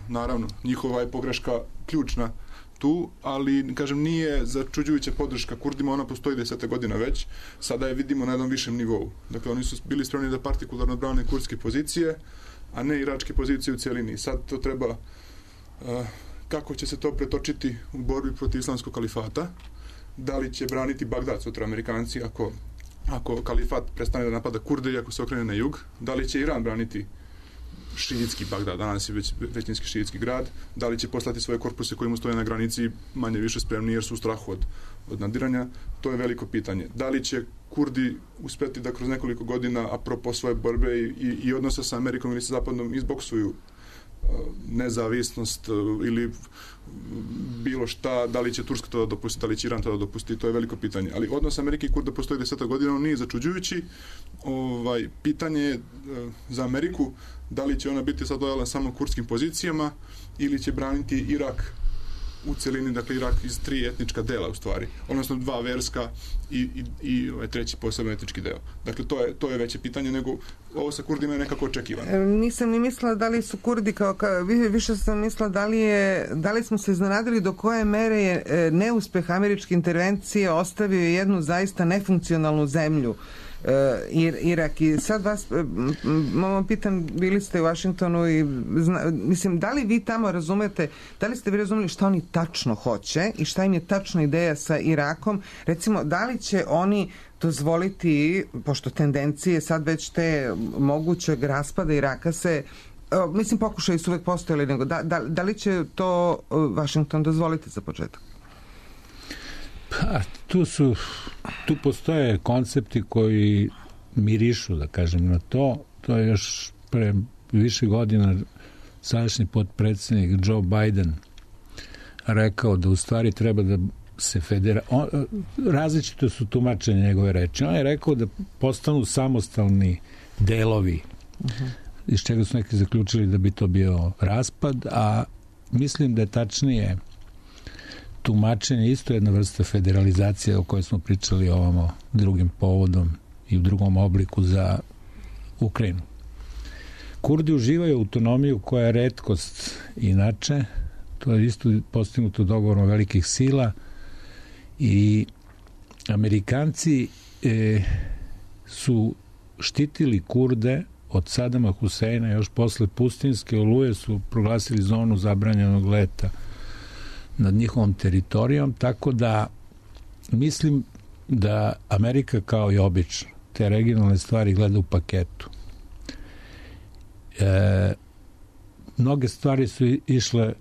Naravno. Njihova je pogreška ključna tu, ali, kažem, nije začuđujuća podrška Kurdima, ona postoji 10 godina već, sada je vidimo na jednom višem nivou. Dakle, oni su bili spremni da partikularno brane kurdske pozicije, a ne iračke pozicije u cijelini. Sad to treba, kako će se to pretočiti u borbi protiv islamskog kalifata, da li će braniti Bagdad sutra Amerikanci ako kalifat prestane da napada Kurde i ako se okrene na jug, da li će Iran braniti šiitski Bagdad, danas je većinski šiitski grad, da li će poslati svoje korpuse koji mu stoje na granici manje više spremni jer su u strahu od nadiranja, to je veliko pitanje. Da li će Kurdi uspeti da kroz nekoliko godina, apropo svoje borbe i odnosa sa Amerikom ili sa Zapadom, izboksuju nezavisnost ili bilo šta, da li će Turska to da dopusti, da li će Iran to da dopusti, to je veliko pitanje. Ali odnos Amerike i Kurda postoji 10 godina, on nije začuđujući. Pitanje je za Ameriku da li će ona biti sad lojalna samo kurdskim pozicijama ili će braniti Irak u celini, dakle Irak iz 3 etnička dela u stvari, odnosno 2 verska i treći posebno etnički deo. Dakle, to je veće pitanje nego ovo sa Kurdima je nekako očekivano. Nisam ni mislila da li su Kurdi više sam mislila da li smo se iznenadili do koje mere je neuspeh američke intervencije ostavio jednu zaista nefunkcionalnu zemlju, Irak. I sad vas pitam, bili ste u Vašingtonu i mislim, da li vi tamo razumete, da li ste vi razumeli šta oni tačno hoće i šta im je tačna ideja sa Irakom? Recimo, da li će oni dozvoliti, pošto tendencije sad već te mogućeg raspada Iraka se, mislim, pokušaju su uvek postojali, nego da li će to Vašington dozvoliti za početak? Pa, tu postoje koncepti koji mirišu, da kažem, na to. To je još pre više godina sadašnji potpredsjednik Joe Biden rekao da u stvari treba da se različito su tumačenje njegove reči. On je rekao da postanu samostalni delovi, iz čega su neki zaključili da bi to bio raspad, a mislim da je tačnije tumačenje isto jedna vrsta federalizacije o kojoj smo pričali ovamo drugim povodom i u drugom obliku za Ukrajinu. Kurdi uživaju autonomiju koja je retkost inače, to je isto postignuto dogovorom velikih sila i Amerikanci su štitili Kurde od Sadama Huseina još posle Pustinske oluje, su proglasili zonu zabranjenog leta nad njihovom teritorijom, tako da mislim da Amerika kao i obično te regionalne stvari gleda u paketu. Mnoge stvari su išle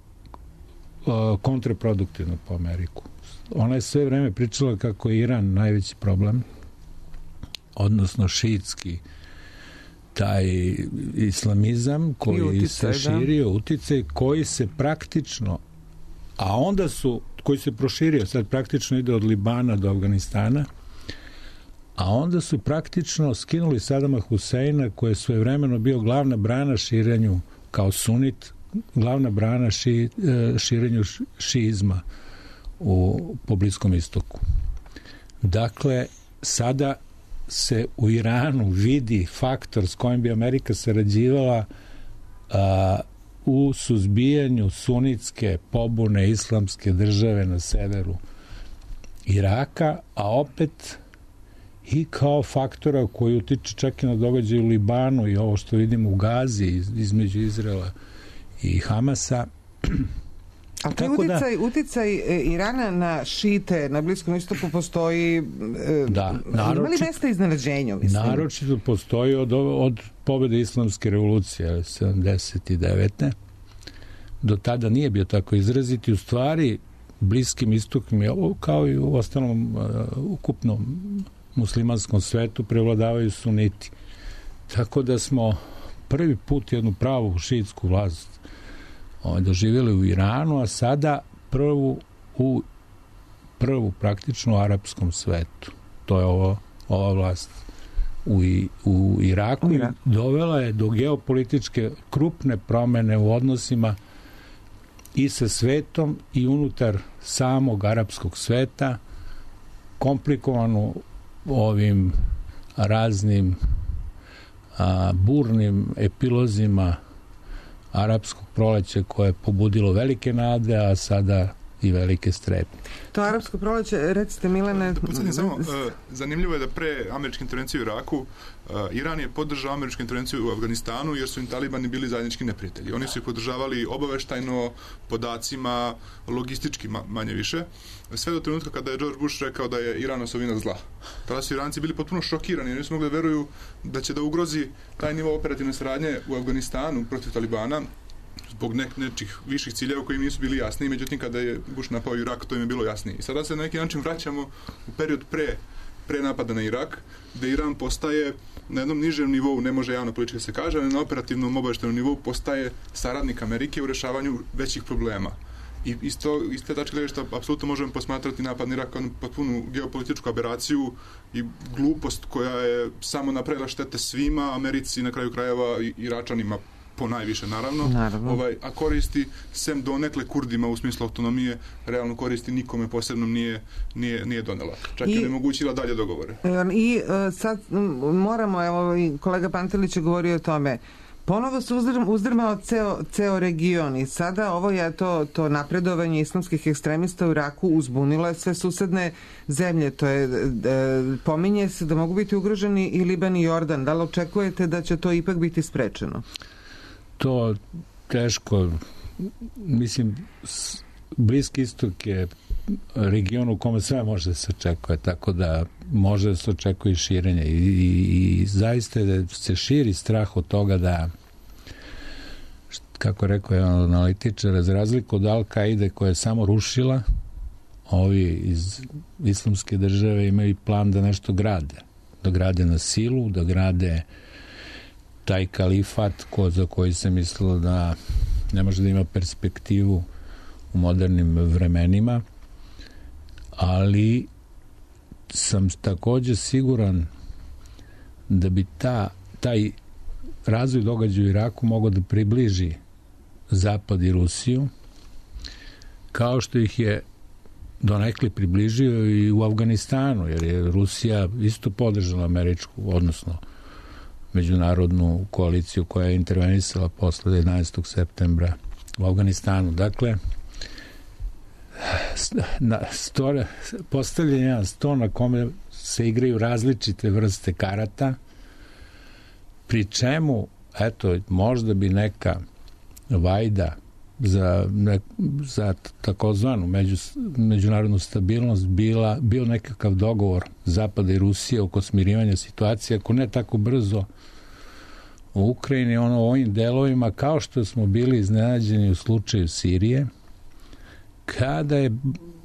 kontraproduktivno po Ameriku. Ona je sve vreme pričala kako je Iran najveći problem, odnosno šiitski taj islamizam koji se širio, uticaj koji se praktično, a onda koji se proširio, sad praktično ide od Libana do Afganistana, a onda su praktično skinuli Sadama Huseina, koji je svojevremeno bio glavna brana širenju kao sunit, glavna brana širenju šiizma po Bliskom istoku. Dakle, sada se u Iranu vidi faktor s kojim bi Amerika sarađivala u suzbijanju sunitske pobune islamske države na severu Iraka, a opet i kao faktora koji utiče čak i na događaj u Libanu i ovo što vidimo u Gazi između Izraela i Hamasa. A taj uticaj Irana na šite na Bliskom istoku postoji, ima li mesta iznenađenju? Naročito postoji od pobjede islamske revolucije 79. Do tada nije bio tako izrazit i u stvari Bliskim istokom kao i u ostalom ukupnom muslimanskom svetu prevladavaju suniti. Tako da smo prvi put jednu pravu šiitsku vlast doživjeli u Iranu, a sada prvu praktično u arapskom svetu. To je ova vlast u Iraku. Dovela je do geopolitičke krupne promene u odnosima i sa svetom i unutar samog arapskog sveta, komplikovanu ovim raznim burnim epilozima arapskog proleća koje je pobudilo velike nade, a sada i velike strepnje. To arapsko proleće, recite Milane... Zanimljivo je da pre američke intervencije u Iraku Iran je podržao američku intervenciju u Afganistanu jer su im talibani bili zajednički neprijatelji. Oni su ih podržavali obaveštajno, podacima, logistički manje više, sve do trenutka kada je George Bush rekao da je Iran osovina zla. Tada su Iranci bili potpuno šokirani, jer nisu mogli da veruju da će da ugrozi taj nivo operativne saradnje u Afganistanu protiv talibana zbog nečih viših ciljeva koji nisu bili jasni, međutim kada je Bush napao Irak, to im je bilo jasnije. I sada se na neki način vraćamo u period pre napada na Irak, gde Iran postaje na jednom nižem nivou, ne može javno politički se kaže, ali na operativnom obaveštajnom nivou postaje saradnik Amerike u rešavanju većih problema. I iz te tačke gledišta apsolutno možemo posmatrati napad na Irak kao potpunu geopolitičku aberaciju i glupost koja je samo napravila štete svima, Americi na kraju krajeva i Iračanima po najviše, naravno. A koristi, sem donekle Kurdima u smislu autonomije, realno koristi nikome posebno nije donela. Čak i onemogućila dalje dogovore. I sad moramo, evo, kolega Pantelić je govorio o tome, ponovo se uzdrmao ceo region i sada ovo je to napredovanje islamskih ekstremista u Iraku uzbunilo je sve susedne zemlje. To je, pominje se da mogu biti ugroženi i Liban i Jordan. Da li očekujete da će to ipak biti sprečeno? To teško. Mislim, Bliski istok je region u kome sve može da se očekuje, tako da može da se očekuje i širenje. I zaista da se širi strah od toga da, kako rekao je analitičar, za razliku od Al-Kaide koja je samo rušila, ovi iz islamske države imaju plan da nešto grade. Da grade na silu, da grade taj kalifat za koji se mislilo da ne može da ima perspektivu u modernim vremenima, ali sam također siguran da bi taj razvoj događaja u Iraku mogao da približi Zapad i Rusiju, kao što ih je donekle približio i u Afganistanu, jer je Rusija isto podržala američku, odnosno međunarodnu koaliciju koja je intervenisala posle 11. septembra u Afganistanu. Dakle, postavljen jedan sto na kome se igraju različite vrste karata, pri čemu, eto, možda bi neka vajda za takozvanu međunarodnu stabilnost bio nekakav dogovor Zapada i Rusije oko smirivanja situacije, ako ne tako brzo u Ukrajini, u ovim delovima, kao što smo bili iznenađeni u slučaju Sirije, kada je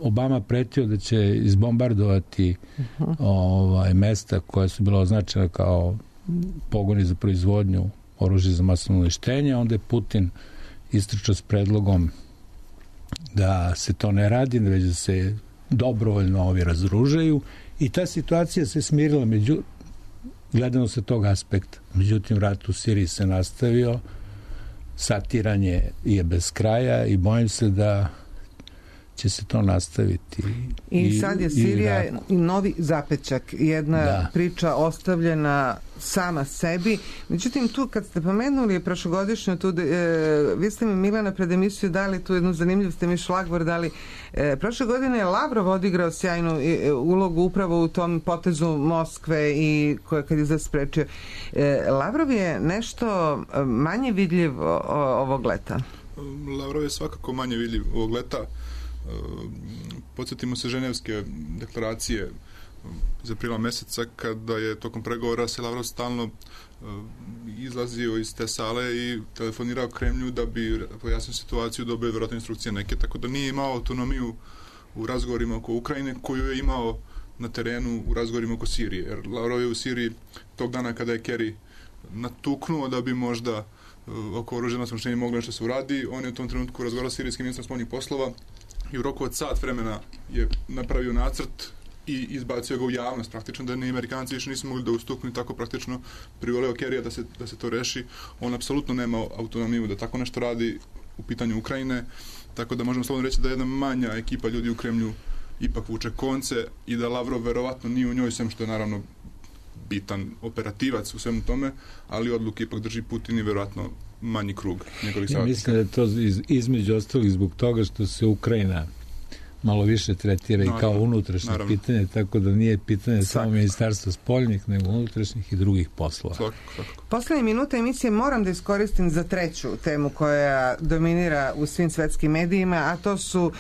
Obama pretio da će izbombardovati mesta koja su bila označena kao pogoni za proizvodnju oružja za masovno uništenje, onda je Putin istrčao s predlogom da se to ne radi, već da se dobrovoljno ovi razružaju i ta situacija se smirila gledano sa tog aspekta. Međutim, rat u Siriji se nastavio, satiranje je bez kraja i bojim se da će se to nastaviti. I sad je Sirija novi zapećak, jedna priča ostavljena sama sebi. Međutim, tu kad ste pomenuli prošlogodišnju, vi ste mi, Milana, pred emisiju dali tu jednu zanimljivu, ste mi šlagvor dali. Prošle godine je Lavrov odigrao sjajnu ulogu upravo u tom potezu Moskve i kad je zasprečio. Lavrov je nešto manje vidljiv ovog leta. Lavrov je svakako manje vidljiv ovog leta. Podsjetimo se Ženevske deklaracije iz aprila meseca, kada je tokom pregovora se Lavrov stalno izlazio iz te sale i telefonirao Kremlju da bi pojasnio situaciju, dobio vjerojatno instrukcije neke, tako da nije imao autonomiju u razgovorima oko Ukrajine koju je imao na terenu u razgovorima oko Sirije. Jer Lavrov je u Siriji tog dana kada je Kerry natuknuo da bi možda oko oružanog smuštenja moglo nešto se uradi, on je u tom trenutku razgovarao s sirijskim ministrom spoljnih poslova i u roku od sat vremena je napravio nacrt i izbacio ga u javnost praktično, da ni Amerikanci više nisu mogli da ustuknu i tako praktično privoleo Kerrya da se to reši. On apsolutno nema autonomiju da tako nešto radi u pitanju Ukrajine, tako da možemo slobodno reći da jedna manja ekipa ljudi u Kremlju ipak vuče konce i da Lavrov verovatno nije u njoj, sem što je naravno bitan operativac u svemu tome, ali odluke ipak drži Putin i verovatno manji krug njegovih savjetnika. Mislim da je to između ostalih zbog toga što se Ukrajina malo više tretira i kao unutrašnje pitanje, tako da nije pitanje samo ministarstva spoljnih, nego unutrašnjih i drugih poslova. Poslednje minute emisije moram da iskoristim za treću temu koja dominira u svim svetskim medijima, a to su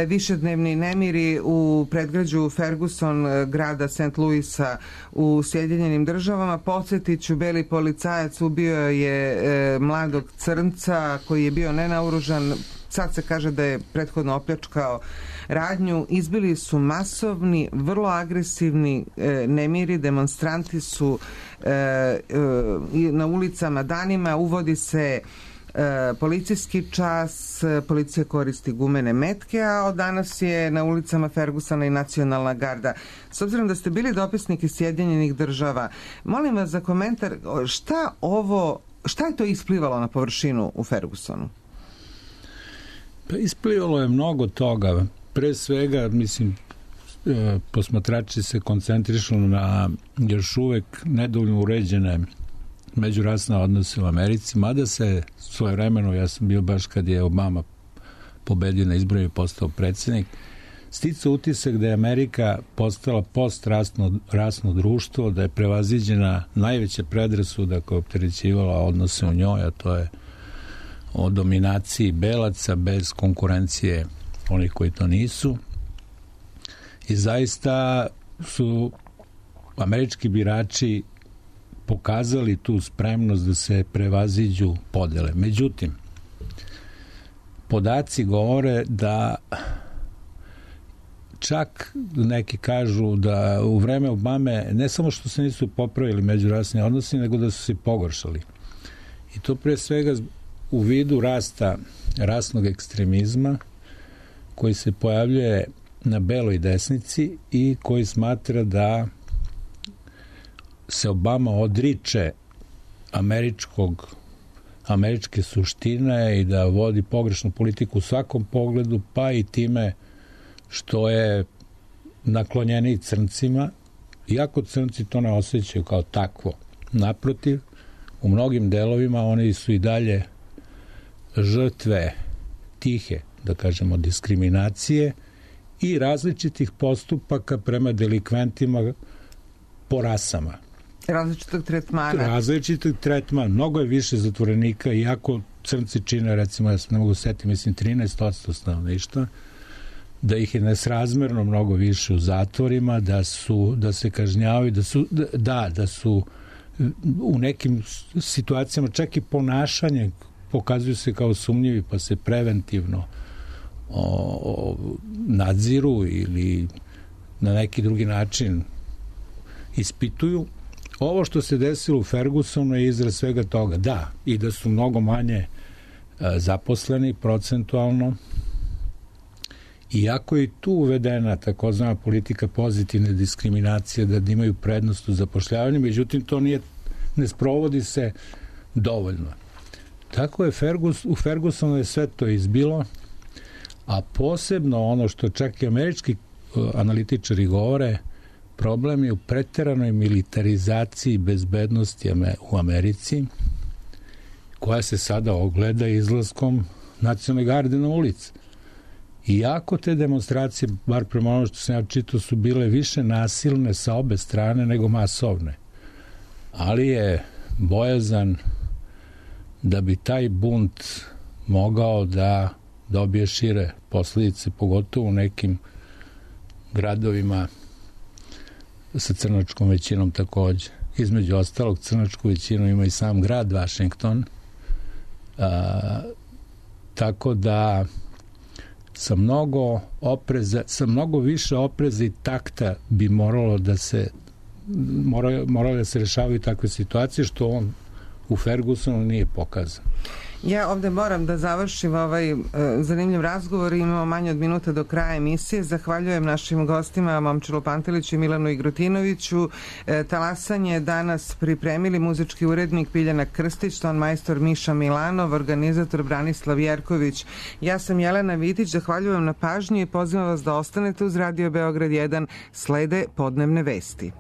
višednevni nemiri u predgrađu Ferguson, grada St. Louisa u Sjedinjenim Državama. Podsjetiću, beli policajac ubio je mladog crnca koji je bio nenaoružan. Sad se kaže da je prethodno opljačkao radnju. Izbili su masovni, vrlo agresivni nemiri, demonstranti su na ulicama danima, uvodi se policijski čas, policija koristi gumene metke, a od danas je na ulicama Fergusona i nacionalna garda. S obzirom da ste bili dopisnik iz Sjedinjenih Država, molim vas za komentar, šta je to isplivalo na površinu u Fergusonu? Pa isplivalo je mnogo toga. Pre svega, mislim, posmatrači se koncentrišu na još uvek nedovoljno uređene međurasne odnose u Americi, mada se svojevremeno, ja sam bio baš kad je Obama pobedio na izborima i postao predsjednik, sticao utisak da je Amerika postala postrasno društvo, da je prevaziđena najveća predrasuda koja je opterećivala odnose u njoj, a to je o dominaciji belaca bez konkurencije onih koji to nisu. I zaista su američki birači pokazali tu spremnost da se prevaziđu podele. Međutim, podaci govore da čak neki kažu da u vreme Obame ne samo što se nisu popravili međurasni odnosi, nego da su se pogoršali. I to pre svega u vidu rasta rasnog ekstremizma koji se pojavljuje na beloj desnici i koji smatra da se Obama odriče američke suštine i da vodi pogrešnu politiku u svakom pogledu, pa i time što je naklonjeniji crncima, iako crnci to ne osjećaju kao takvo. Naprotiv, u mnogim delovima oni su i dalje žrtve tihe, da kažemo, diskriminacije i različitih postupaka prema delikventima po rasama. Različitog tretmana. Mnogo je više zatvorenika, iako crnci čine, recimo, ja se ne mogu setiti, mislim 13% stanovništva, da ih je nesrazmerno mnogo više u zatvorima, da se kažnjavaju, da su u nekim situacijama čak i ponašanje pokazuju se kao sumnjivi, pa se preventivno nadziru ili na neki drugi način ispituju. Ovo što se desilo u Fergusonu je izraz svega toga. Da, i da su mnogo manje zaposleni procentualno. Iako je tu uvedena takozvana politika pozitivne diskriminacije, da imaju prednost u zapošljavanju, međutim to ne sprovodi se dovoljno. Tako je u Fergusonu je sve to izbilo, a posebno ono što čak i američki analitičari govore, problem je u preteranoj militarizaciji bezbednosti u Americi, koja se sada ogleda izlaskom nacionalne garde na ulici. Iako te demonstracije, bar prema ono što sam ja čitao, su bile više nasilne sa obe strane nego masovne. Ali je bojazan da bi taj bunt mogao da dobije šire posljedice, pogotovo u nekim gradovima sa crnačkom većinom takođe. Između ostalog, crnačku većinu ima i sam grad Vašington. Tako da sa mnogo više opreza i takta bi moralo da se rešavaju takve situacije, što on u Fergusonu nije pokazao. Ja ovde moram da završim ovaj zanimljiv razgovor. Imamo manje od minuta do kraja emisije. Zahvaljujem našim gostima Momčilu Panteliću i Milanu Igrutinoviću. Talasanje danas pripremili muzički urednik Biljana Krstić, ton majstor Miša Milanov, organizator Branislav Jerković. Ja sam Jelena Vitić, zahvaljujem na pažnji i pozivam vas da ostanete uz Radio Beograd 1. Slede podnevne vesti.